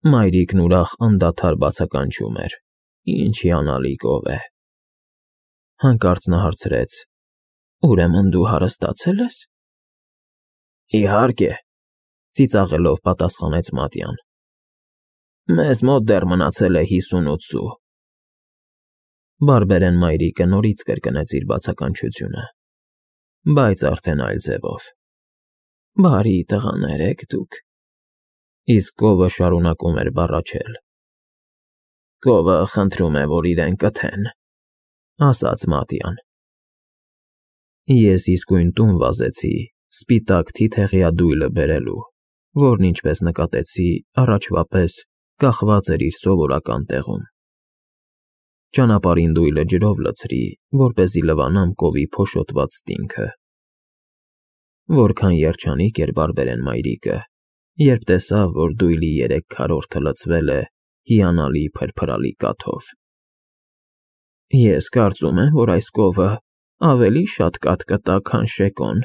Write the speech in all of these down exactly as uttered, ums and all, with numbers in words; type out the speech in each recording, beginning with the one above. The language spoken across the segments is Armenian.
Մայրիկն ուրախ անդադար բացականչում էր. «Ինչ հիանալի կով է»։ Հանկարծ նա հարցրեց. «Ուրեմն դու հարստացե՞լ ես»։ «Իհարկե», ծիծաղելով պատասխանեց Մատյան։ «Մեզ մոտ դեռ մնացել է հիսունութ սու»։ Բարբերեն մայրիկը նորից կրկնեց իր բացականչությունը, բայց արդեն այլ ձևով. «Բարի տղաներ եք դուք»։ Իսկ կովը շարունակում էր բառաչել. «Կովը խնդրում է, որ իրեն կթեն», ասաց Մատյան։ Ես իսկույն տուն վազեցի սպիտակ թիթեղյա դույլը բերելու, որն, ինչպես նկատեցի, առաջվա պես կախված էր իր սովորական տեղում։ Ճանապարհին դույլը ջրով լցրի, որպեսզի լվանամ կովի փոշոտված ստինքը։ Որքան երջանիկ էր Բարբերեն մայրիկը, երբ տեսավ, որ դույլի երեք քառորդը լցվել է հիանալի փրփրալի կաթով։ «Ես կարծում եմ, որ այս կովը ավելի շատ կաթ կտա, քան Շեկոն»,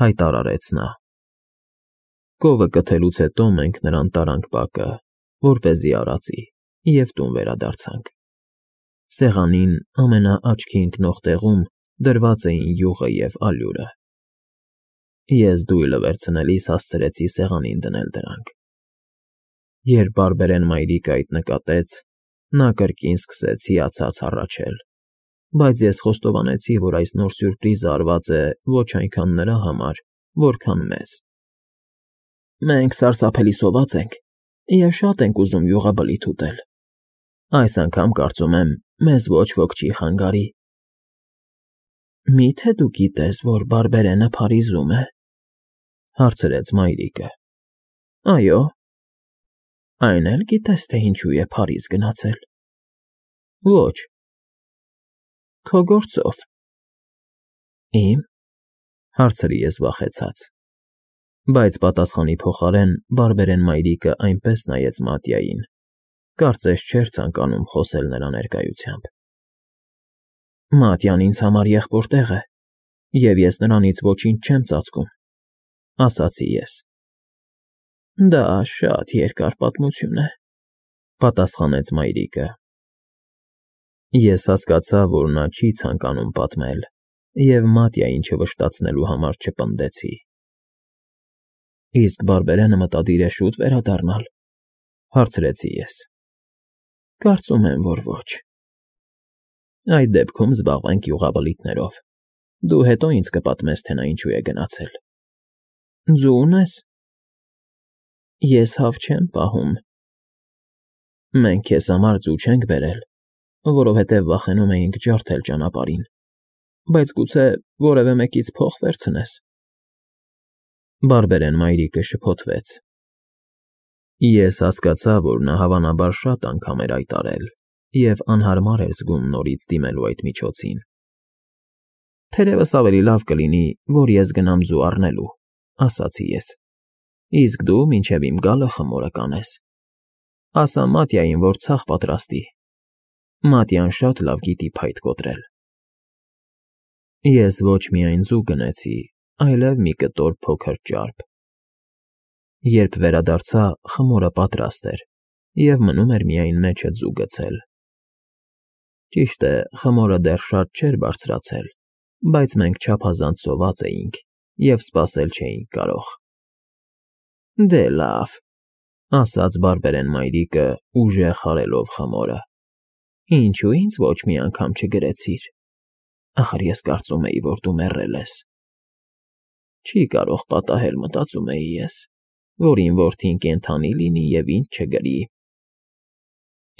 հայտարարեց նա։ Կովը կթելուց հետո մենք նրան տարանք բակը, որպեսզի արածի, և տուն վերադարձանք։ Սեղանին ամենաաչքի ընկնող տեղում դրված էին յուղը և ալյուրը։ Ես դույլը վերցնելիս հասցրեցի սեղանին դնել դրանք։ Երբ Բարբերեն մայրիկը այդ նկատեց, նա կրկին սկսեց հիացած հառաչել, բայց ես խոստովանեցի, որ այս նոր սյուրպրիզը արված է ոչ այնքան նրա համար, որքան մեզ։ «Մենք սարսափելի սոված ենք և շատ ենք ուզում յուղաբլիթ ուտել։ Այս անգամ, կարծում եմ, մեզ ոչ ոք չի խանգարի»։ «Մի՞թե դու գիտես, որ Բարբերենը Փարիզում է», հարցրեց մայրիկը։ «Այո»։ «Այն էլ գիտես, թե ինչու է Փարիզ գնացել»։ «Ոչ»։ «Քո գործով»։ «Իմ»։ Հարցրի ես վախեցած։ Բայց պատասխանի փոխարեն Բարբերեն մայրիկը այնպես նայեց Մատյային, կարծես չէր ցանկանում խոսել նրա ներկայությամբ։ «Մատյան ինձ համար եղբոր տեղ է, և ես նրանից ոչինչ չեմ ծածկում», ասացի ես։ «Դա շատ երկար պատմություն է», պատասխանեց մայրիկը։ Ես հասկացա, որ նա չի ցանկանում պատմել, և Մատյային չվշտացնելու համար չպնդեցի։ «Իսկ Բարբերենը մտադիր է շուտ վերադառնալ», հարցրեցի ես։ «Կարծում եմ, որ ոչ»։ «Այդ դեպքում զբաղվենք յուղաբլիթներով։ Դու հետո ինձ կպատմես, թե նա ինչու է գնացել»։ «Ձու ունե՞ս»։ «Ես հավ չեմ պահում»։ «Մենք քեզ համար ձու չենք բերել, որովհետև վախենում էինք ջարդել ճանապարհին, բայց գուցե որևէ մեկից փող վերցնես»։ Բարբերեն մայրիկը շփոթվեց։ Ես հասկացա, որ նա հավանաբար շատ անգամ էր այդ արել և անհարմար էր զգում նորից դիմելու այդ միջոցին։ «Թերևս ավելի լավ կլինի, որ ես գնամ ձու առնելու», ասացի ես։ «Իսկ դու մինչև իմ գալը խմորը կանես։ Ասա Մատյային, որ ցախ պատրաստի։ Մատյան շատ լավ գիտի փայտ կոտրել»։ Ես ոչ միայն ձու գնեցի, այլև մի կտոր փոքր ճարպ։ Երբ վերադարձա, խմորը պատրաստ էր, և մնում էր միայն մեջը ձու գցել։ Ճիշտ է, խմորը դեռ շատ չէր բարձրացել, բայց մենք չափազանց սոված էինք և սպասել չէինք կարող։ «Դե լավ», ասաց Բարբերեն մայրիկը, ուժեղ հարելով խմորը։ «Ինչու ինձ ոչ մի անգամ չգրեցիր։ Ախր ես կարծում էի, որ դու մեռել ես»։ Չի կարող պատահել, մտածում էի ես, որ իմ որդին կենդանի լինի և ինձ չգրի։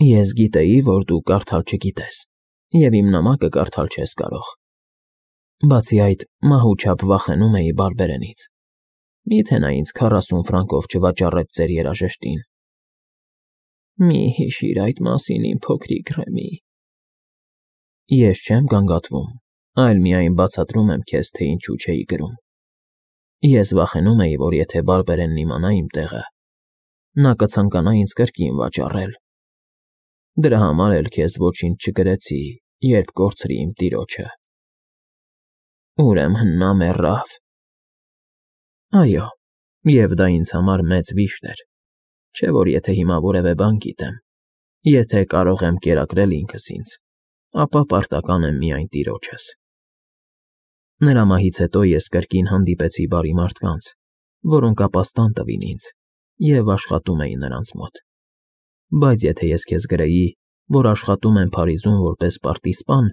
Ես գիտեի, որ դու կարդալ չգիտես, և իմ նամակը կարդալ չես կարող։ Բացի այդ, մահու չափ վախենում էի Բարբերենից։ Մի՞թե նա ինձ քառասուն ֆրանկով չվաճառեց ձեր երաժշտին։ Մի հիշիր այդ մասին, իմ փոքրիկ Ռեմի։ Ես չեմ գանգատվում, այլ միայն բացատրում եմ քեզ, թե ինչու չէի գրում։ Ես վախենում էի, որ եթե Բարբերենն իմանա իմ տեղը, նա կցանկանա ինձ կրկին վաճառել։ Դրա համար էլ քեզ ոչինչ չգրեցի, երբ կորցրի իմ տիրոջը։ Ուրեմն նա մեռավ։ Այո, և դա ինձ համար մեծ վիշտ էր։ Չէ՞ որ եթե հիմա որևէ բան գիտեմ, եթե կարող եմ կերակրել ինքս ինձ, ապա պարտական եմ միայն տիրոջս։ Նրա մահից հետո ես կրկին հանդիպեցի բարի մարդկանց, որոնք ապաստան տվին ինձ և աշխատում էին նրանց մոտ։ Բայց եթե ես քեզ գրեի, որ աշխատում եմ Փարիզում որպես պարտիզպան,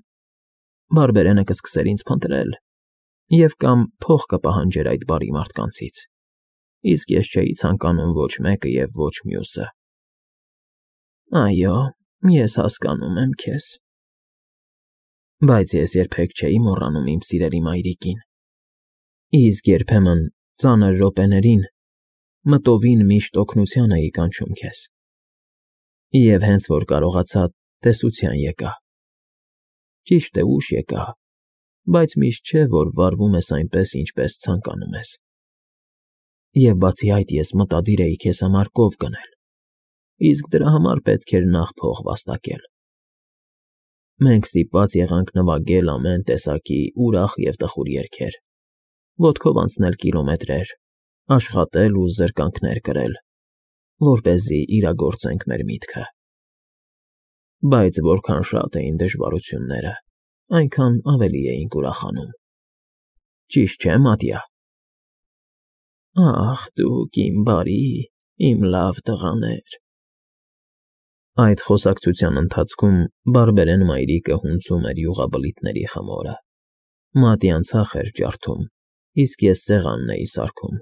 բարբերենը կսկսեր ինձ փնտրել և կամ փող կպահանջեր այդ բարի մարդկանցից, իսկ ես չէի ցանկանում ոչ մեկը և ոչ մյուսը։ Այո, ես հասկանում եմ քեզ։ Բայց ես երբեք չէի մոռանում իմ սիրելի մայրիկին, իսկ երբեմն ծանր րոպեներին մտովին միշտ օգնության էի կանչում քեզ, և հենց որ կարողացա, տեսության եկա։ Ճիշտ է, ուշ եկա, բայց միշտ չէ, որ վարվում ես այնպես, ինչպես ցանկանում ես։ Եվ բացի այդ ես մտադիր էի քեզ համար կով գնել, իսկ դրա համար պետք էր նախ փող վաստակել։ Մենք ստիպված եղանք նվագել ամեն տեսակի ուրախ և տխուր երգեր, ոտքով անցնել կիլոմետրեր, աշխատել ու զրկանքներ կրել, որպեսզի իրագործենք մեր միտքը։ Բայց որքան շատ էին դժվարությունները, այնքան ավելի էինք ուրախանում։ Ճիշտ չէ՞, Մատիա։ Ախ, դուք իմ բարի, իմ լավ տղաներ։ Այդ խոսակցության ընթացքում բարբերեն մայրիկը հունձում էր յուղաբլիթների խմորը։ Մատյան ցախ էր ջարդում, իսկ ես սեղանն էի սարքում։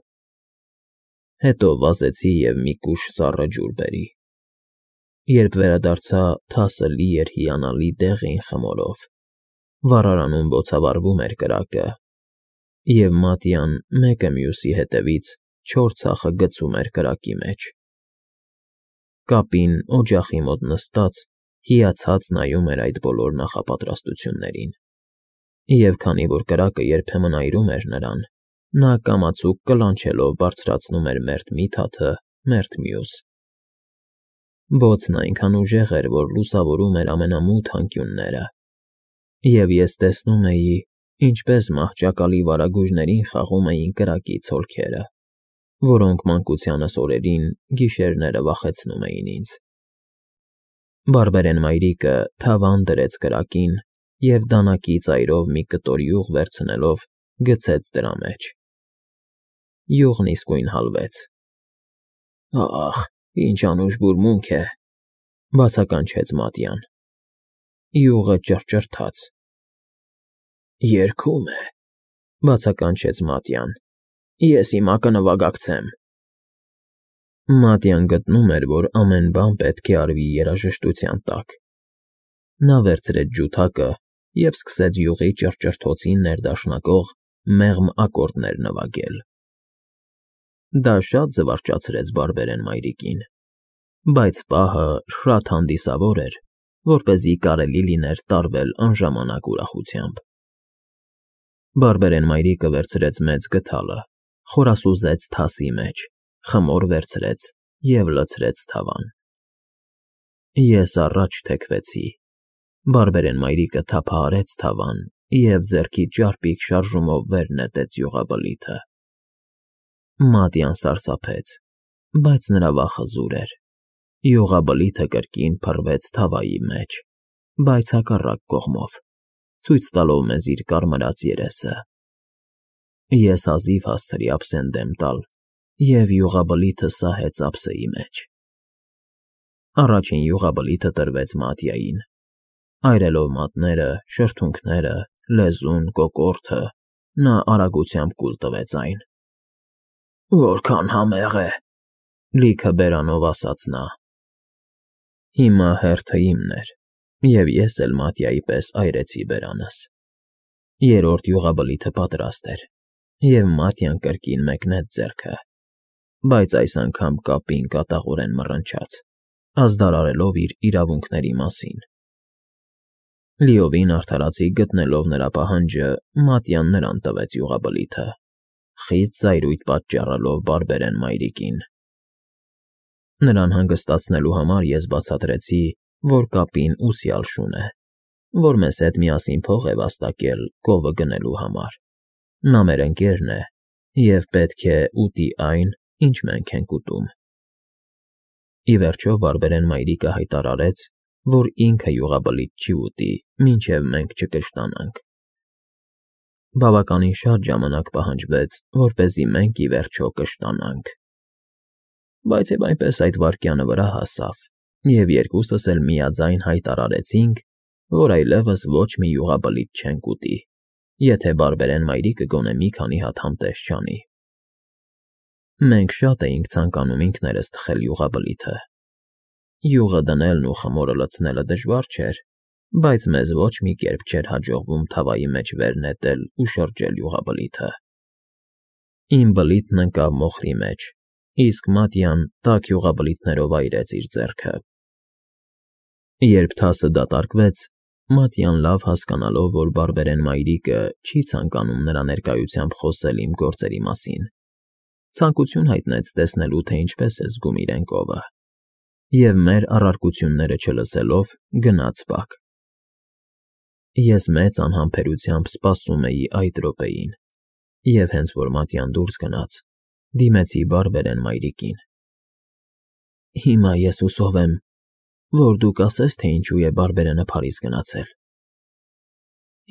Հետո վազեցի և մի կուշ սառը ջուր բերի։ Երբ վերադարձա, թասը լի էր հիանալի դեղին խմորով, վառարանում բոցավառվում էր կրակը, և Մատյան մեկը մյուսի հետևից չորս ցախը գցում էր կրակի մեջ։ Կապին օջախի մոտ նստած, հիացած նայում էր այդ բոլոր նախապատրաստություններին, և քանի որ կրակը երբեմն այրում էր նրան, նա կամացուկ կլանչելով բարձրացնում էր մերթ մի թաթը, մերթ մյուս։ Բոցն այնքան ուժեղ էր, որ լուսավորում էր ամենամութ անկյունները, և ես տեսնում էի, ինչպես մահճակալի վարագույրներին խաղում էին կրակի ցոլքերը, որոնք մանկությանս օրերին գիշերները վախեցնում էին ինձ։ Բարբերեն մայրիկը թավան դրեց կրակին և դանակի ծայրով մի կտոր յուղ վերցնելով գցեց դրա մեջ։ Յուղն իսկույն հալվեց։ Ախ, ինչ անուշ բուրմունք է, բացականչեց Մատյան։ Յուղը ճռճռաց։ Երգում է, բացականչեց Մատյան։ Ես հիմա կնվագակցեմ։ Մատյան գտնում էր, որ ամեն բան պետք է արվի երաժշտության տակ։ Նա վերցրեց ջութակը և սկսեց յուղի ճռճռթոցին ներդաշնակող մեղմ ակորդներ նվագել։ Դա շատ զվարճացրեց բարբերեն մայրիկին, բայց պահը շատ հանդիսավոր էր, որպեսզի կարելի լիներ տարվել անժամանակ ուրախությամբ։ Բարբերեն մայրիկը վերցրեց մեծ գդալը, խորասուզեց թասի մեջ, խմոր վերցրեց և լցրեց թավան։ Ես առաջ թեքվեցի։ Բարբերեն մայրիկը թափահարեց թավան և ձեռքի ճարպիկ շարժումով վեր նետեց յուղաբլիթը։ Մատյան սարսափեց, բայց նրա վախը զուր էր։ Յուղաբլիթը կրկին փռվեց թավայի մեջ, բայց հակառակ կողմով, ցույց տալով մեզ իր կարմրած երեսը։ Ես հազիվ հասցրի ափսեն դեմ տալ, և յուղաբլիթը սահեց ափսեի մեջ։ Առաջին յուղաբլիթը տրվեց Մատյային։ Այրելով մատները, շրթունքները, լեզուն, կոկորդը, նա արագությամբ կուլ տվեց այն։ Որքան համեղ է, լիքը բերանով ասաց նա։ Հիմա հերթը իմն էր, և ես էլ Մատյայի պես այրեցի բերանս։ Երրորդ յուղաբլիթը պատրաստ էր, և Մատյան կրկին մեկնեց ձեռքը, բայց այս անգամ կապին կատաղորեն մռնչաց, ազդարարելով իր իրավունքների մասին։ Լիովին արդարացի գտնելով նրա պահանջը, Մատյան նրան տվեց յուղաբլիթը, խիստ զայրույթ պատճառելով բարբերեն մայրիկին։ Նրան հանգստացնելու համար ես բացատրեցի, որ կապին ուսյալ շուն է, որ մեզ հետ միասին փող է վաստակել կովը գնելու համար։ Նա մեր ընկերն է և պետք է ուտի այն, ինչ մենք ենք ուտում։ Ի վերջո բարբերեն մայրիկը հայտարարեց, որ ինքը յուղաբլիթ չի ուտի, մինչև մենք չկշտանանք։ Բավականին շատ ժամանակ պահանջվեց, որպեսզի մենք ի վերջո կշտանանք։ Բայց և այնպես այդ վայրկյանը վրա հասավ, և երկուսս էլ միաձայն հայտարարեցինք, որ այլևս ոչ մի յուղաբլիթ չենք ուտի, եթե բարբերեն մայրիկը գոնե մի քանի հատ համտես չանի։ Մենք շատ էինք ցանկանում ինքներս թխել յուղաբլիթը։ Յուղը դնելն ու խմորը լցնելը դժվար չէր, բայց մեզ ոչ մի կերպ չէր հաջողվում թավայի մեջ վեր նետել ու շրջել յուղաբլիթը։ Իմ բլիթն ընկավ մոխրի մեջ, իսկ Մատյան տաք յուղաբլիթներով այրեց իր ձեռքը։ Երբ թասը դատարկվեց, Մատյան լավ հասկանալով, որ բարբերեն մայրիկը չի ցանկանում նրա ներկայությամբ խոսել իմ գործերի մասին, ցանկություն հայտնեց տեսնելու, թե ինչպես է զգում իրեն կովը, և մեր առարկությունները չլսելով գնաց բակ։ Ես մեծ անհամբերությամբ սպասում էի այդ րոպեին, և հենց որ Մատյան դուրս գնաց, դիմեցի բարբերեն մայրիկին։ Հիմա ես հուսով եմ, որ դու կասես, թե ինչու է բարբերենը Փարիզ գնացել։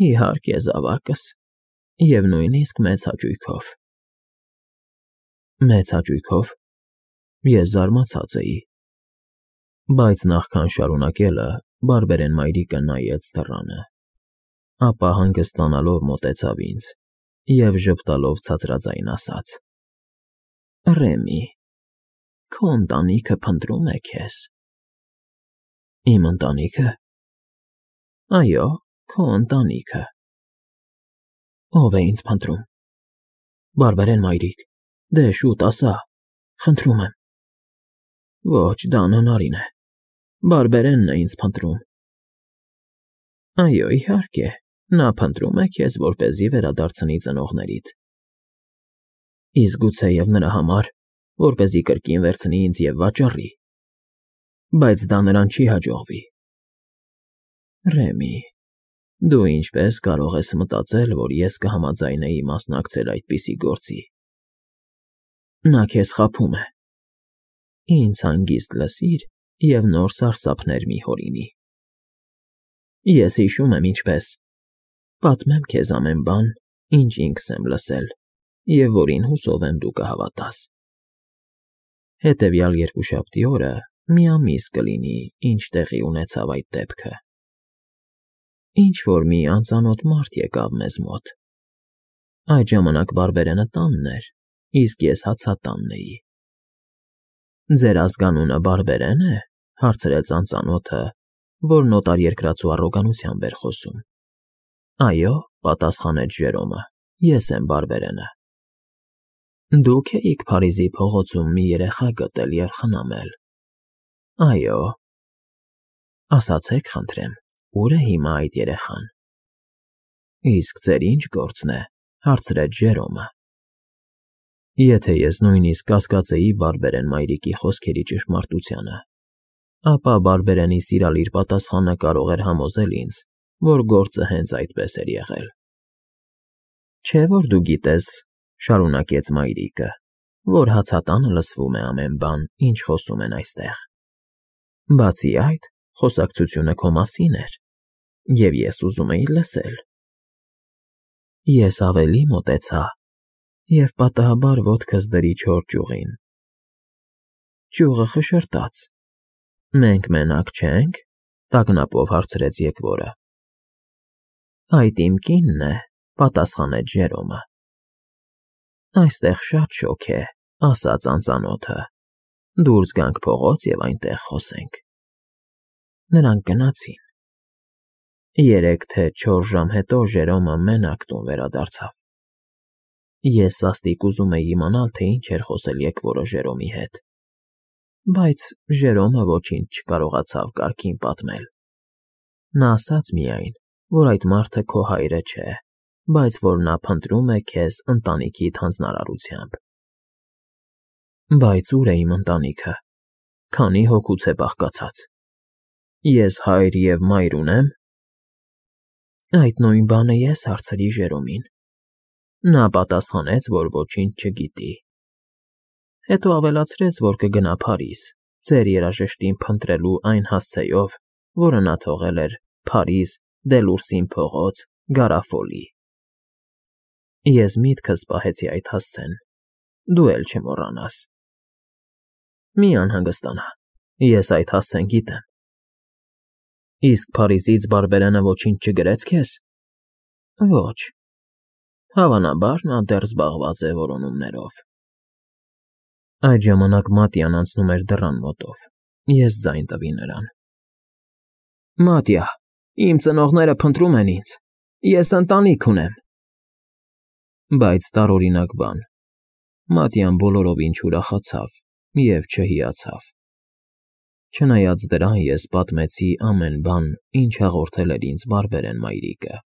Իհարկե, զավակս, և նույնիսկ մեծ հաճույքով։ Մեծ հաճույքով։ Ես զարմացած էի։ Բայց նախքան շարունակելը բարբերեն մայրիկը նայեց դռանը, ապա հանգստանալով մոտեցավ ինձ և ժպտալով ցածրաձայն ասաց. Ռեմի, քո ընտանիքը փնտրում է քեզ։ Իմ ընտանիքը։ Այո, քո ընտանիքը։ Ո՞վ է ինձ փնտրում։ Բարբերեն մայրիկ, դե շուտ ասա, խնդրում եմ։ Ոչ, դա անհնարին է։ Բարբերենն է ինձ փնտրում։ Այո, իհարկե, նա փնտրում է քեզ, որպեսզի վերադարձնի ծնողներիդ։ Իսկ գուցեև նրա համար, որպեսզի կրկին վերցնի ինձ և վաճառի։ Բայց դա նրան չի հաջողվի։ Ռեմի, դու ինչպես կարող ես մտածել, որ ես կհամաձայնեի մասնակցել այդպիսի գործի։ Նա քեզ խաբում է։ Ինձ հանգիստ լսիր և նոր սարսափներ մի հորինի։ Ես հիշում եմ ինչպես։ Պատմեմ քեզ ամեն բան, ինչ ինքս եմ լսել, և որին հուսով եմ դու կհավատաս։ Հետևյալ երկուշաբթի օրը մի ամիս կլինի, ինչ տեղի ունեցավ այդ դեպքը։ Ինչ-որ մի անծանոթ մարդ եկավ մեզ մոտ։ Այդ ժամանակ բարբերենը տանն էր, իսկ ես հացատանն էի։ Ձեր ազգանունը Բարբերեն է, հարցրեց անծանոթը, որ նոտար երկրածու առոգանությամբ էր խոսում։ Այո, պատասխանեց Ժերոմը, ես եմ Բարբերենը։ Դուք էիք Փարիզի փողոցում մի երեխա գտել և խնամել։ Այո։ Ասացեք, խնդրեմ, ուր է հիմա այդ երեխան։ Իսկ ձեր ինչ գործն է, հարցրեց Ժերոմը։ Եթե ես նույնիսկ կասկածեի բարբերեն մայրիկի խոսքերի ճշմարտությանը, ապա բարբերենի սիրալիր պատասխանը կարող էր համոզել ինձ, որ գործը հենց այդպես էր եղել։ Չէ՞ որ դու գիտես, շարունակեց մայրիկը, որ հացատանը լսվում է ամեն բան, ինչ խոսում են այստեղ։ Բացի այդ, խոսակցությունը քո մասին էր, և ես ուզում էի լսել։ Ես ավելի մոտեցա և պատահաբար ոտքս դրի չոր ճյուղին։ Ճյուղը խշշրտաց։ Մենք մենակ չե՞նք, տագնապով հարցրեց եկվորը։ Այդ իմ կինն է, պատասխանեց Ժերոմը։ Այստեղ շատ շոգ է, ասաց անծանոթը։ Դուրս գանք փողոց և այնտեղ խոսենք։ Նրանք գնացին։ Երեք թե չորս ժամ հետո Ժերոմը մենակ տուն վերադարձավ։ Ես սաստիկ ուզում էի իմանալ, թե ինչ էր խոսել եկվորը Ժերոմի հետ, բայց Ժերոմը ոչինչ չկարողացավ կարգին պատմել։ Նա ասաց միայն, որ այդ մարդը քո հայրը չէ, բայց որ նա փնտրում է քեզ ընտանիքիդ հանձնարարությամբ։ Բայց ուր է իմ ընտանիքը, քանի հոգուց է բաղկացած։ Ես հայր և մայր ունե՞մ։ Այդ նույն բանը ես հարցրի Ժերոմին։ Նա պատասխանեց, որ ոչինչ չգիտի։ Հետո ավելացրեց, որ կգնա Փարիզ, Ձեր երաժշտին փնտրելու այն հասցեով, որը նա թողել էր Փարիզ, Դելուրսին փողոց, Գարաֆոլի։ Ես միտքս պահեցի այդ հասցեն, դու էլ չմոռանաս։ Մի անհանգստանա, ես այդ հասցեն գիտեմ։ Իսկ Փարիզից բարբերանը ոչինչ չգրեց քեզ։ Ոչ, հավանաբար նա դեռ զբաղված է որոնումներով։ Այդ ժամանակ Մատյան անցնում էր դռան մոտով, ես ձայն տվի նրան. Մատյա, իմ ծնողները փնտրում են ինձ, ես ընտանիք ունեմ։ Բայց տարօրինակ բան, Մատյան բոլորովին չուրախացավ և չհիացավ։ Չնայած դրան ես պատմեցի ամեն բան, ինչ հաղորդել էր ինձ բարբերեն մայրիկը։